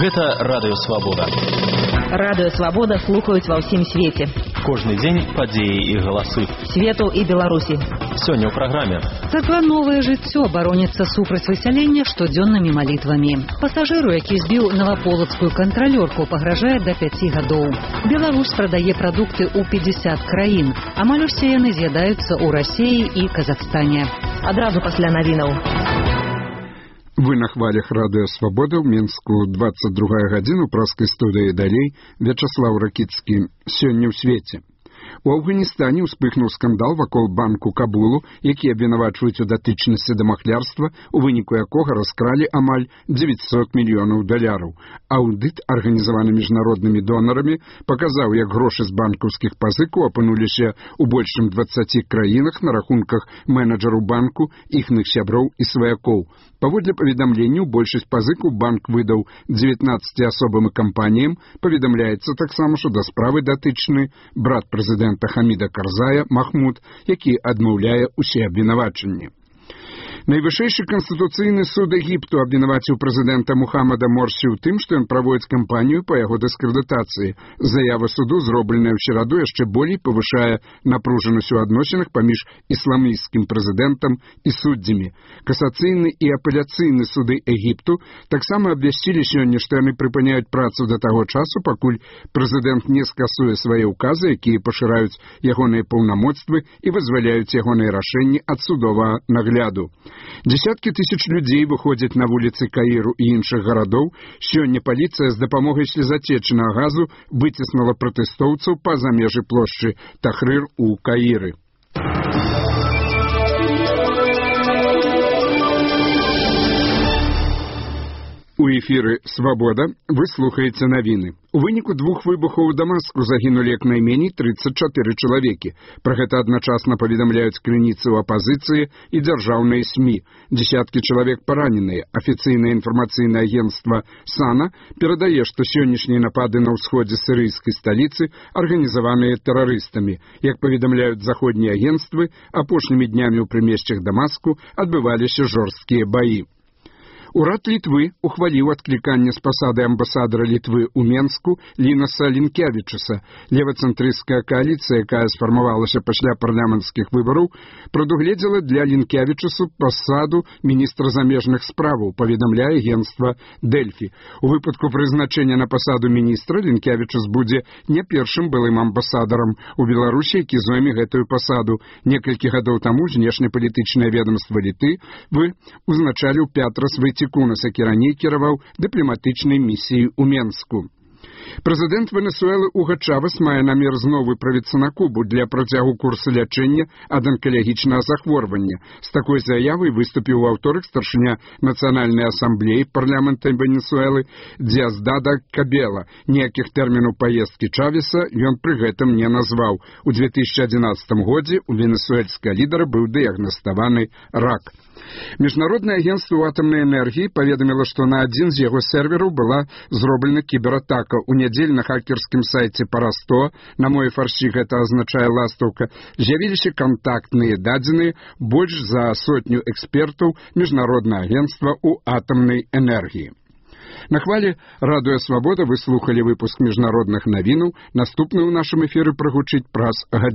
Гэта радыёвабода. Радыёвабода слухаюць ва ўсім свеце. Кожны дзень падзеі і галасы Свету і Беларусі. Сёння ў праграме. Царква «Новае жыццё» бароніцца супраць высялення штодзённымі малітвамі. Пасажыру, які збіў наваполацкую кантралёрку, пагражае да 5 гадоў. Беларусь прадае прадукты ў 50 краін. Амаль усе яны з'ядаюцца ў Расіі і Казахстане. Адразу пасля навінаў. Вы на хвалях радыё «Свабода» ў Мінску, 22 гадзіна, ў праскай студыі далей, Вячаслаў Ракіцкі. Сёння ў свеце. У Афганістане ўспыхнуў скандал вакол банку Кабулу, які абвінавачваюць у датычнасці да махлярства, у выніку якога раскралі амаль $900 мільёнаў. Аўдыт, арганізаваны міжнароднымі донарамі, паказаў, як грошы з банкаўскіх пазыкаў апынуліся ў больш чым 20 краінах на рахунках менеджераў банку, іхных сяброў і сваякоў. Паводле паведамленняў, большасць пазыкаў банк выдаў 19 асобам і кампаніям. Паведамляецца таксама, што да справы датычны брат прэзідэнта Хаміда Карзая Махмуд, які адмаўляе ўсе абвінавачанні. Найвышэйшы канстытуцыйны суд Егіпту абвінаваціў прэзідэнта Мухаммада Морсі ў тым, што ён праводзіць кампанію па яго дыскрэдытацыі. Заява суду, зробленая ў сераду, яшчэ болей павышае напружанасць у адносінах паміж ісламісцкім прэзідэнтам і суддзямі. Касацыйны і апеляцыйны суды Егіпту таксама абвясцілі сёння, што яны прыпыняюць працу да таго часу, пакуль прэзідэнт не скасуе свае ўказы, якія пашыраюць ягоныя паўнамоцтвы і вызваляюць ягоныя рашэнні ад судовага нагляду. Десяткі тысяч людзей выходзяць на вуліцы Каіру і іншых гарадоў. Сёння паліцыя з дапамогай слезацечнага газу выціснула пратэстоўцаў па-за межы плошчы Тахрыр у Каіры. У эфіры «Свабода» вы слухаеце навіны. У выніку 2 выбухаў у Дамаску загінулі як найменей 34 чалавекі. Пра гэта адначасна паведамляюць крыніцы ў апазіцыі і дзяржаўныя СМІ. Десяткі чалавек параненыя. Афіцыйнае інфармацыйнае агенцтва САНА перадае, што сённяшнія напады на ўсходзе сірыйскай сталіцы арганізаваныя тэрарыстамі. Як паведамляюць заходнія агенцтвы, апошнімі днямі ў прымесцях Дамаску адбываліся жорсткія баі. Урад Літвы ухваліў адкліканне з пасады амбасадара Літвы ў Менску Лінаса Лінкевічуса. Левацэнтрысцкая кааліцыя, якая сфармавалася пасля парламенцкіх выбараў, прадугледзела для Лінкевічусу пасаду міністра замежных справаў, паведамляе агенцтва Дэльфі. У выпадку прызначэння на пасаду міністра Лінкевічус будзе не першым былым амбасадарам у Беларусі, які зойме гэтую пасаду. Некалькі гадоў таму знешнепалітычнае ведамства Літвы узначаліў Пятрас Войцекунас, які раней кіраваў дыпламатычнай місіяй у Менску. Прэзідэнт Венесуэлы Уга Чавес мае намер зноў выправіцца на Кубу для працягу курсу лячэння ад анкалагічнага захворвання. З такой заявай выступіў у аўторак старшыня Нацыянальнай асамблеі парламента Венесуэлы Диасдада Кабела. Ніякіх тэрмінаў паездкі Чавеса ён пры гэтым не назваў. У 2011 годзе у венесуэльскага лідара быў дыягнаставаны рак. Міжнароднае агенцтва атамнай энергіі паведаміла, што на адзін з яго сервераў была зроблена кібератака. У нядзелю на хакерскім сайце Парасто, на мове фарсі гэта азначае ластаўка, з'явіліся кантактныя дадзеныя больш за 100 экспертаў міжнароднага агенцтва ў атамнай энергіі. На хвале радыё «Свабода» вы слухалі выпуск міжнародных навінаў. Наступны ў нашым эфіры прагучыць праз гадзіну.